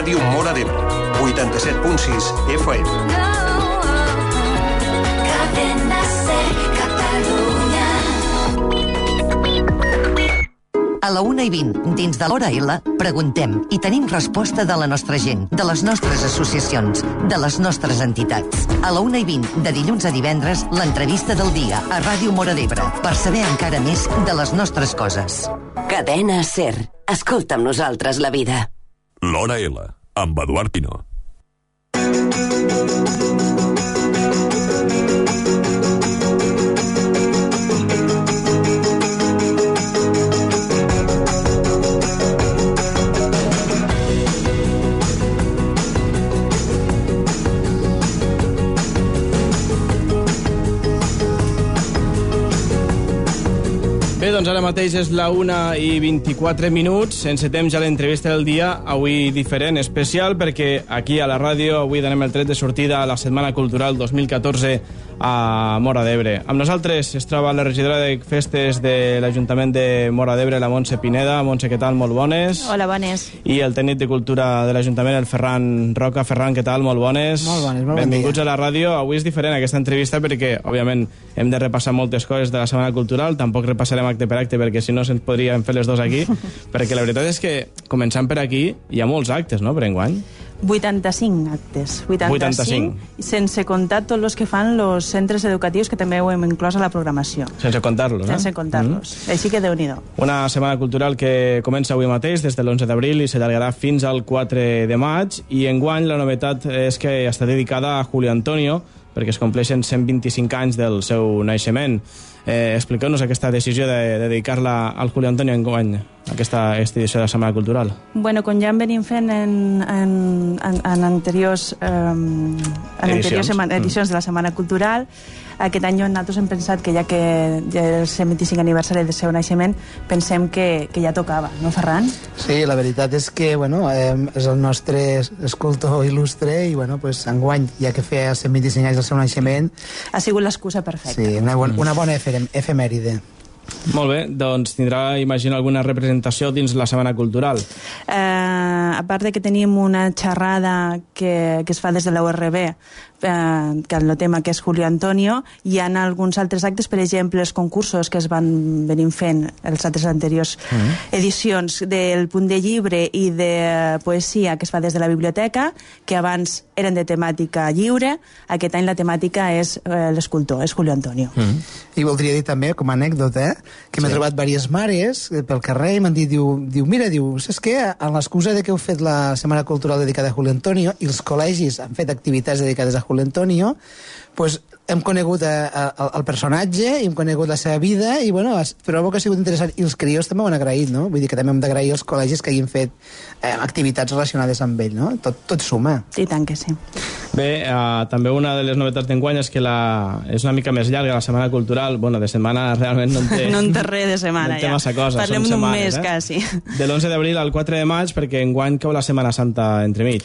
Ràdio Móra d'Ebre, 87.6 FM. Cadena Ser, Catalunya. A la 1:20, dins de l'Hora L, preguntem i tenim resposta de la nostra gent, de les nostres associacions, de les nostres entitats. A la 1:20, de dilluns a divendres, l'entrevista del dia a Ràdio Móra d'Ebre, per saber encara més de les nostres coses. Cadena Ser. Escolta amb nosaltres la vida. L'Hora L, amb Eduard Pino. Bé, doncs ara mateix és la 1:24. Encetem ja l'entrevista del dia, avui diferent, especial, perquè aquí a la ràdio avui donem el tret de sortida a la Setmana Cultural 2014 a Móra d'Ebre. Amb nosaltres es troba la regidora de Festes de l'Ajuntament de Móra d'Ebre, la Montse Pineda. Montse, què tal? Molt bones. Hola, bones. I el tècnic de Cultura de l'Ajuntament, el Ferran Roca. Ferran, què tal? Molt bones. Molt bones, molt Benvinguts bon dia. a la ràdio. Avui és diferent aquesta entrevista perquè, òbviament, hem de repassar moltes coses de la Setmana Cultural. Tampoc repassarem acte per acte perquè si no se'ns podríem fer les dos aquí. Perquè la veritat és que, començant per aquí, hi ha molts actes, no?, per enguany. 85 actes. 85. Sense comptar tots els que fan els centres educatius, que també ho hem inclòs a la programació. Sense comptar-los, eh? Sense comptar-los. Així que Déu-n'hi-do. Una setmana cultural que comença avui mateix, des de l'11 d'abril, i s'allargarà fins al 4 de maig. I enguany la novetat és que està dedicada a Julio Antonio, perquè es compleixen 125 anys del seu naixement. Expliqueu-nos aquesta decisió de dedicar-la al Julio Antonio enguany, aquesta edició de la Setmana Cultural. Bueno, com ja en venim fent en anteriors edicions de la Setmana Cultural, aquest any nosaltres hem pensat que ja que ja és el 125 aniversari del seu naixement, pensem que ja tocava, no, Ferran? Sí, la veritat és que bueno, és el nostre escultor il·lustre i bueno, pues, enguany, ja que feia 125 anys del seu naixement... Ha sigut l'excusa perfecta. Sí, una bona efemèride. Molt bé, doncs tindrà, imagino, alguna representació dins la Setmana Cultural. A part de que tenim una xerrada que es fa des de la URB, que el tema que és Julio Antonio, hi ha alguns altres actes, per exemple, els concursos que es van venir fent els altres anteriors edicions del Punt de Llibre i de Poesia que es fa des de la biblioteca, que abans eren de temàtica lliure. Aquest any la temàtica és l'escultor, és Julio Antonio. I voldria dir també, com a anècdota, que m'he trobat diverses mares pel carrer i m'han dit, mira, saps què? En l'excusa de que heu fet la Setmana Cultural dedicada a Julio Antonio i els col·legis han fet activitats dedicades a Julio Antonio, pues hem conegut el personatge i hem conegut la seva vida i bueno, trobo que ha sigut interessant i els crios també ho han agraït, no? Vull dir que també hem d'agrair als col·legis que hagin fet activitats relacionades amb ell, no? Tot suma. I tant que sí. Bé, també una de les novetats d'enguany és que és una mica més llarga la Setmana Cultural. Bueno, de setmana realment no en té... No en té res de setmana, no en té massa cosa. Parlem d'un mes, quasi. De l'11 d'abril al 4 de maig, perquè enguany cau la Setmana Santa entremig.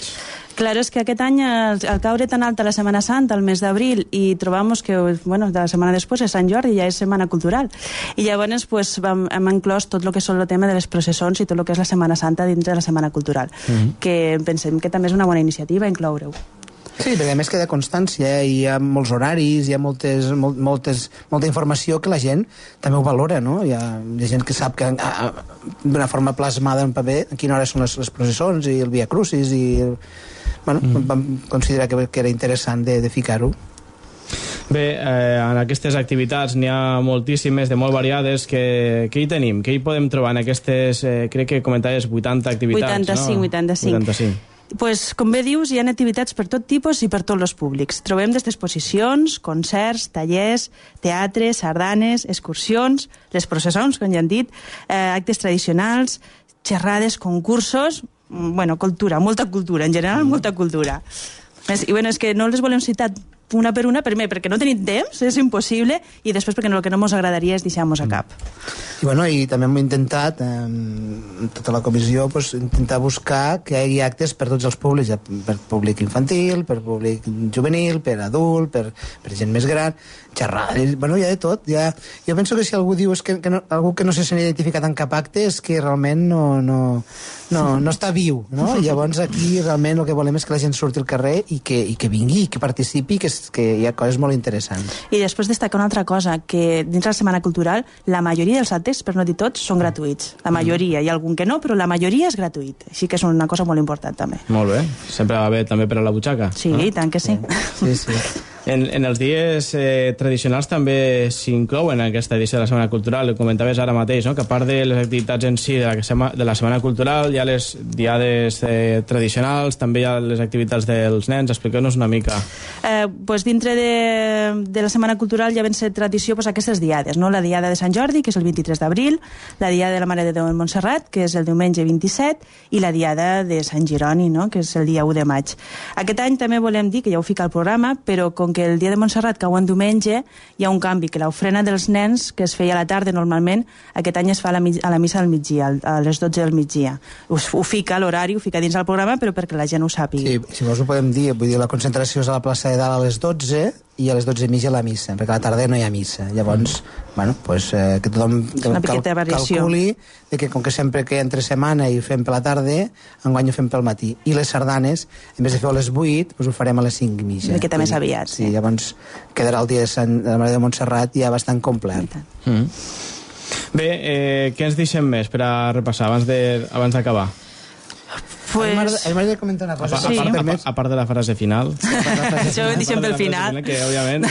Clar, és que aquest any, al caure tan alta la Setmana Santa, el mes d'abril, i trobam que, bueno, de la setmana després és Sant Jordi, ja és Setmana Cultural. I llavors pues, hem inclòs tot el que són el tema de les processons i tot el que és la Setmana Santa dintre de la Setmana Cultural, que pensem que també és una bona iniciativa incloure-ho. Sí, perquè a més queda constància, hi ha molts horaris, hi ha molta informació que la gent també ho valora, no? Hi ha gent que sap que d'una forma plasmada en paper a quina hora són les processons i el Via Crucis i... Bueno, vam considerar que era interessant de ficar-ho. Bé, en aquestes activitats n'hi ha moltíssimes, de molt variades. Què hi tenim? Què hi podem trobar en aquestes, crec que comentaves, 80 activitats, 85. Pues, com bé dius, hi ha activitats per tot tipus i per tots els públics. Trobem des d'exposicions, concerts, tallers, teatre, sardanes, excursions, les processons, com ja han dit, actes tradicionals, xerrades, concursos, bueno, cultura, molta cultura, en general molta cultura. I bueno, és que no les volem citar una per una, primer perquè no tenim temps, és impossible, i després perquè el que no ens agradaria és deixar-nos a cap. I bueno, i també hem intentat, tota la comissió, pues, intentar buscar que hi hagi actes per tots els públics, per públic infantil, per públic juvenil, per adult, per gent més gran, xerrades, bueno, hi ha de tot. Jo penso que si algú diu que algú que no se sent identificat en cap acte és que realment no no està viu, no? Llavors aquí realment el que volem és que la gent surti al carrer i que vingui, que participi, que hi ha coses molt interessants. I després destacar una altra cosa, que dins la Setmana Cultural la majoria dels actes, per no dir tots, són gratuïts. La majoria, hi ha algun que no, però la majoria és gratuït. Així que és una cosa molt important també. Molt bé, sempre va bé també per a la butxaca. Sí, i tant que sí. Sí. En els dies tradicionals també s'inclouen en aquesta edició de la Setmana Cultural. Ho comentaves ara mateix, no? Que a part de les activitats en si de la Setmana Cultural hi ha les diades tradicionals, també hi ha les activitats dels nens. Expliqueu-nos una mica. Pues dintre de la Setmana Cultural ja ven ser tradició pues, aquestes diades, no? La diada de Sant Jordi, que és el 23 d'abril, la diada de la Mare de Déu en Montserrat, que és el diumenge 27, i la diada de Sant Jeroni, no? Que és el dia 1 de maig. Aquest any també volem dir, que ja ho fica al programa, però com que el dia de Montserrat cau en diumenge, hi ha un canvi, que l'ofrena dels nens, que es feia a la tarda normalment, aquest any es fa a la missa del migdia, a les 12 del migdia. Ho fica l'horari, ho fica dins del programa, però perquè la gent ho sàpigui. Sí, si vols ho podem dir, vull dir, la concentració és a la plaça de Dalt a les 12 i a les 12:30 la missa, perquè a la tarda no hi ha missa. Llavors, bueno, pues, que tothom calculi que com que sempre que entre setmana i fem per la tarda, enguany ho fem pel matí. I les sardanes, en vez de fer a les 8, pues ho farem a les 5:30. Una miqueta més aviat. Sí, llavors quedarà el dia de la Mare de Montserrat ja bastant complet. Bé, què ens deixem més per a repassar abans d'acabar? Pues... M'agradaria comentar una cosa. Sí. A part de la frase final. Això ho deixem pel final. Que, òbviament...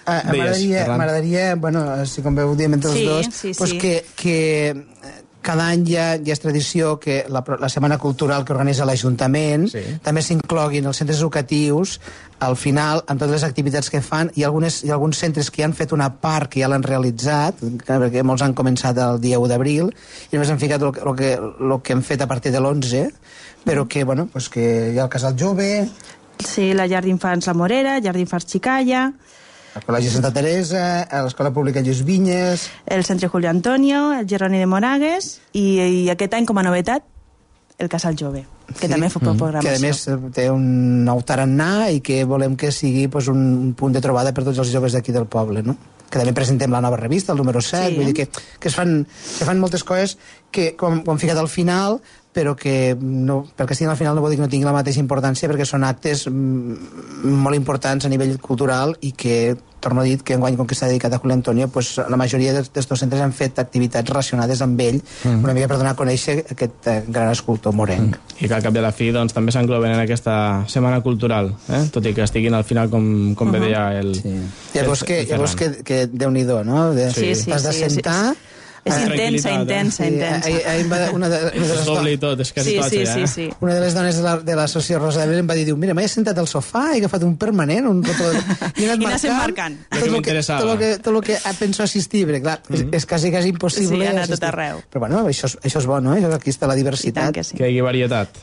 M'agradaria, bueno, si com veu diem entre els dos, pues que cada any ja és tradició que la Setmana Cultural que organitza l'Ajuntament també s'incloguin els centres educatius al final, amb totes les activitats que fan. Hi ha alguns centres que ja han fet una part que ja l'han realitzat, perquè molts han començat el dia 1 d'abril, i només han ficat el que hem fet a partir de l'11, però que, bueno, pues que hi ha el Casal Jove... Sí, la llar d'infants La Morera, llar d'infants Xicalla... El Col·legi Santa Teresa, l'Escola Pública Lluís Vinyes... El Centre Julio Antonio, el Jeroni de Moragues i aquest any, com a novetat, el Casal Jove, que també fa programació. Que a més té un nou tarannà i que volem que sigui pues, un punt de trobada per tots els joves d'aquí del poble, no? Que també presentem la nova revista, el número 7, vull dir que es fan moltes coses que ho han ficat al final, però que no, perquè estiguin al final no vol dir que no tingui la mateixa importància, perquè són actes molt importants a nivell cultural i que, torno a dir, que enguany com que s'ha dedicat a Julio Antonio, pues, la majoria d'estos centres han fet activitats relacionades amb ell, una mica per donar a conèixer aquest gran escultor morenc. I que al cap de la fi doncs, també s'engloben en aquesta Setmana Cultural, tot i que estiguin al final, com bé deia el... Sí. Llavors que Déu-n'hi-do, no? T'has de sentar... És intensa. Una de les doble i tot, és quasi tot, sí. Una de les dones de l'associació Rosa de Belén em va dir, mira, m'he sentat al sofà i he agafat un permanent, un rotó... I anat marcant. Tot el que penso assistir, perquè clar, és quasi impossible. Sí, anar tot arreu. Però bueno, això és bo, no? Aquí està la diversitat. Que hi hagi varietat.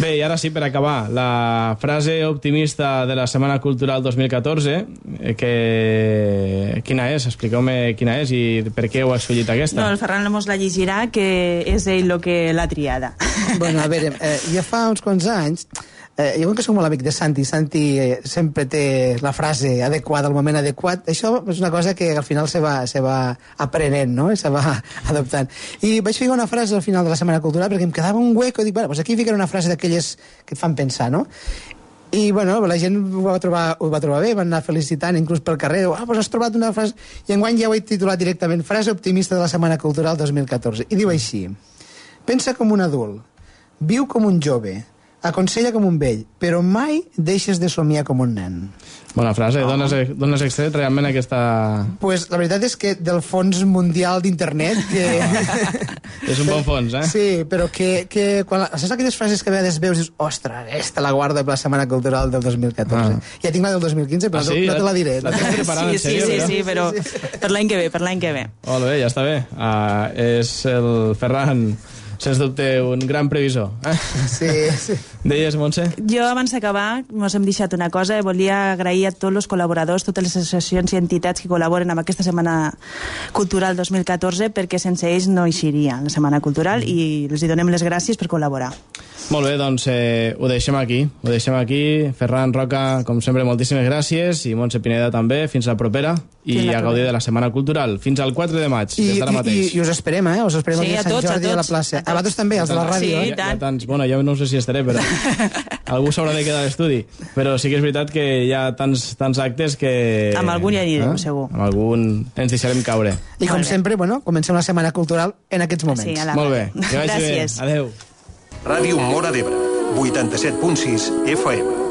Bé, i ara sí, per acabar, la frase optimista de la Setmana Cultural 2014, quina és? Expliqueu-me quina és i per què ho has escollit aquesta. No, el Ferran mos la llegirà, que és ell el que l'ha triada. Bueno, a veure, ja fa uns quants anys, jo com que soc molt amic de Santi sempre té la frase adequada al moment adequat. Això és una cosa que al final se va aprenent, no? Se va adoptant. I vaig ficar una frase al final de la Setmana Cultural perquè em quedava un hueco i dic, bueno, pues aquí ficaré una frase d'aquelles que et fan pensar, no? I, bueno, la gent ho va trobar bé, van anar felicitant inclús pel carrer, pues has trobat una frase... I enguany ja ho he titulat directament, frase optimista de la Setmana Cultural 2014. I diu així: pensa com un adult, viu com un jove, aconsella com un vell, però mai deixes de somiar com un nen. Bona frase, d'on has extret realment aquesta... Pues la veritat és que del fons mundial d'internet que... És un bon fons, Sí, però que quan... Saps aquelles frases que a vegades veus i dius, ostres, aquesta la guarda per la Setmana Cultural del 2014. Ja tinc la del 2015, però no te la diré. La tens preparada, en sèrio? Sí, però per l'any que ve, Molt bé, ja està bé. És el Ferran... Sens dubte, un gran previsor. Sí. Deies, Montse? Jo, abans d'acabar, mos hem deixat una cosa. Volia agrair a tots els col·laboradors, totes les associacions i entitats que col·laboren amb aquesta Setmana Cultural 2014, perquè sense ells no eixiria la Setmana Cultural i els donem les gràcies per col·laborar. Molt bé, doncs ho deixem aquí. Ferran, Roca, com sempre, moltíssimes gràcies, i Montse Pineda també. Fins la propera. i a gaudir de la Setmana Cultural. Fins al 4 de maig, des d'ara mateix. I us esperem, Us esperem Sí, aquí a Sant Jordi a la plaça. A vosaltres també, els de la ràdio. Sí, Hi ha tants, bueno, jo no sé si estaré, però algú s'haurà de quedar a l'estudi. Però sí que és veritat que hi ha tants actes que... Amb algun ja anirem, segur. Amb algun ens deixarem caure. I com sempre, comencem la Setmana Cultural en aquests moments. Sí, a la Molt bé, que vagi bé. Gràcies. Adéu. Ràdio Móra d'Ebre, 87.6 FM.